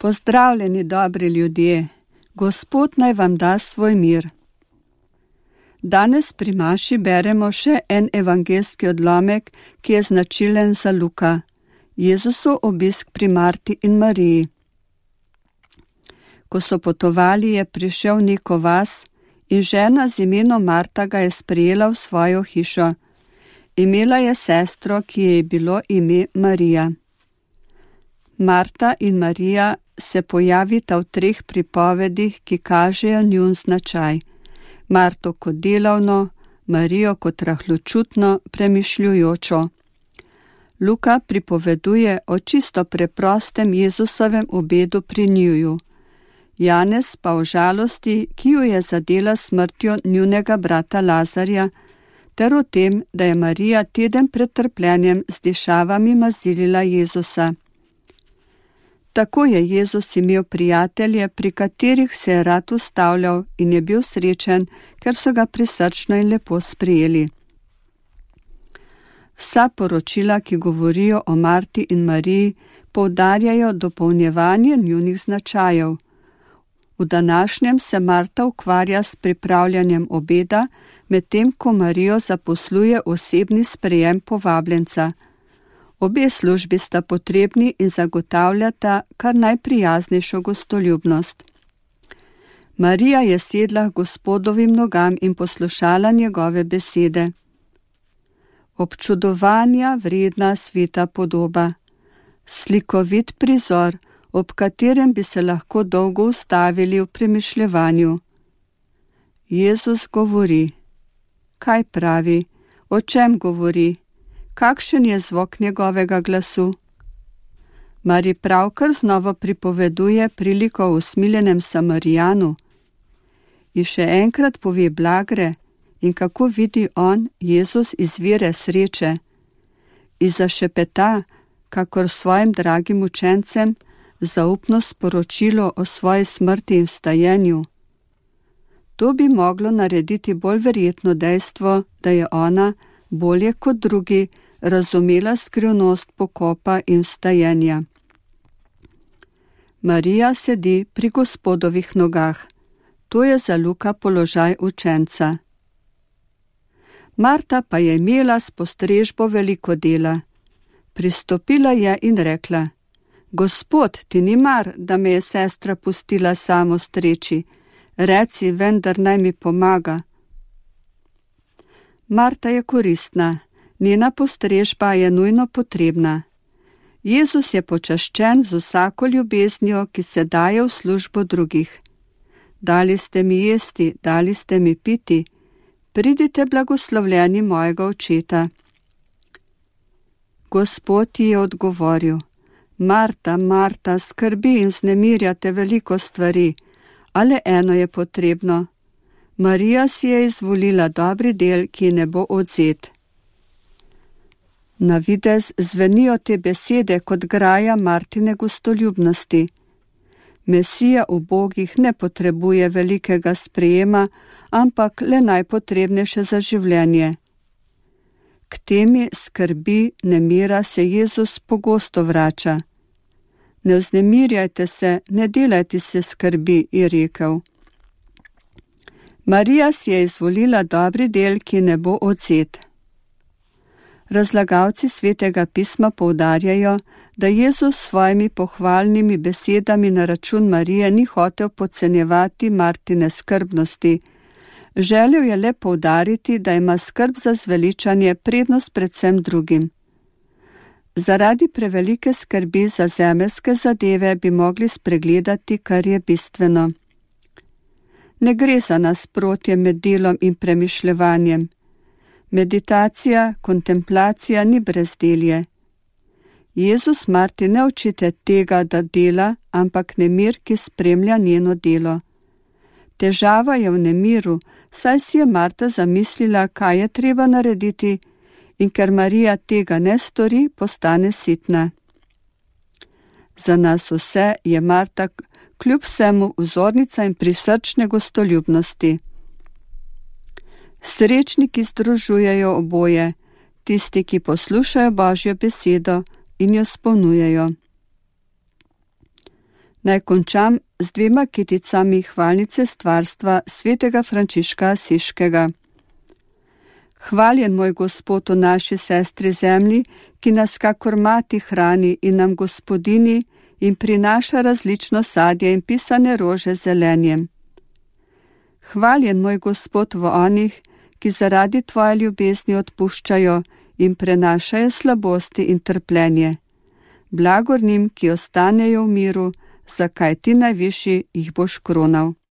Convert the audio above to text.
Pozdravljeni, dobri ljudje, Gospod naj vam da svoj mir. Danes pri maši beremo še en evangelski odlomek, ki je značilen za Luka, Jezusov obisk pri Marti in Mariji. Ko so potovali, je prišel v neko vas in žena z imenom Marta ga je sprejela v svojo hišo. Imela je sestro, ki je bilo ime Marija. Marta in Marija se pojavita v 3 pripovedih, ki kažejo njun značaj. Marto kot delavno, Marijo kot rahločutno, premišljujočo. Luka pripoveduje o čisto preprostem Jezusovem obedu pri njiju. Janez pa o žalosti, ki jo je zadela smrtjo njunega brata Lazarja, ter o tem, da je Marija teden pred trpljenjem z dišavami mazilila Jezusa. Tako je Jezus imel prijatelje, pri katerih se je rad ustavljal in je bil srečen, ker so ga prisrčno in lepo sprijeli. Vsa poročila, ki govorijo o Marti in Mariji, poudarjajo dopolnjevanje njunih značajev. V današnjem se Marta ukvarja s pripravljanjem obeda, medtem ko Marijo zaposluje osebni sprejem povabljenca. Obe službi sta potrebni in zagotavljata kar najprijaznejšo gostoljubnost. Marija je sedla k Gospodovim nogam in poslušala njegove besede. Občudovanja vredna sveta podoba, slikovit prizor, ob katerem bi se lahko dolgo ustavili v premišljevanju. Jezus govori. Kaj pravi? O čem govori? Kakšen je zvok njegovega glasu? Mari pravkar znova pripoveduje priliko o usmiljenem Samarijanu. In še enkrat pove blagre in kako vidi on, Jezus, izvire sreče. In zašepeta, kakor svojim dragim učencem, zaupno sporočilo o svoji smrti in vstajenju. To bi moglo narediti bolj verjetno dejstvo, da je ona, bolje kot drugi, razumela skrivnost pokopa in vstajenja. Marija sedi pri Gospodovih nogah. To je za Luka položaj učenca. Marta pa je imela s postrežbo veliko dela. Pristopila je in rekla: Gospod, ti ni mar, da me je sestra pustila samo streči. Reci, vendar naj mi pomaga. Marta je koristna, njena postrežba je nujno potrebna. Jezus je počaščen z vsako ljubeznijo, ki se daje v službo drugih. Dali ste mi jesti, dali ste mi piti, pridite blagoslovljeni mojega očeta. Gospod ji je odgovoril: Marta, Marta, skrbi in vznemirjate veliko stvari, ale eno je potrebno. Marija si je izvolila dobri del, ki ne bo odvzet. Na videz zvenijo te besede kot graja Martine gostoljubnosti. Mesija ubogih ne potrebuje velikega sprejema, ampak le najpotrebnejše za življenje. K temi skrbi, nemira se Jezus pogosto vrača. Ne vznemirjajte se, ne delajte se skrbi, je rekel. Marija si je izvolila dobri del, ki ne bo odvzet. Razlagalci Svetega pisma poudarjajo, da Jezus s svojimi pohvalnimi besedami na račun Marije ni hotel podcenjevati Martine skrbnosti. Želel je le poudariti, da ima skrb za zveličanje prednost predvsem drugim. Zaradi prevelike skrbi za zemeljske zadeve bi mogli spregledati, kar je bistveno. Ne gre za nasprotje med delom in premišljevanjem. Meditacija, kontemplacija ni brezdelje. Jezus Marti ne učite tega, da dela, ampak nemir, ki spremlja njeno delo. Težava je v nemiru, saj si je Marta zamislila, kaj je treba narediti, in ker Marija tega ne stori, postane sitna. Za nas vse je Marta kljub vsemu vzornica in prisrčne gostoljubnosti. Srečniki združujejo oboje, tisti, ki poslušajo Božjo besedo in jo spolnjujejo. Naj končam z 2 kiticami hvalnice stvarstva svetega Frančiška Asiškega. Hvaljen moj Gospod o naši sestri zemlji, ki nas kakor mati hrani in nam gospodini in prinaša različno sadje in pisane rože z zelenjem. Hvaljen moj Gospod v onih, ki zaradi tvoje ljubezni odpuščajo in prenašajo slabosti in trpljenje. Blagor njim, ki ostanejo v miru, zakaj ti najvišji jih boš kronal.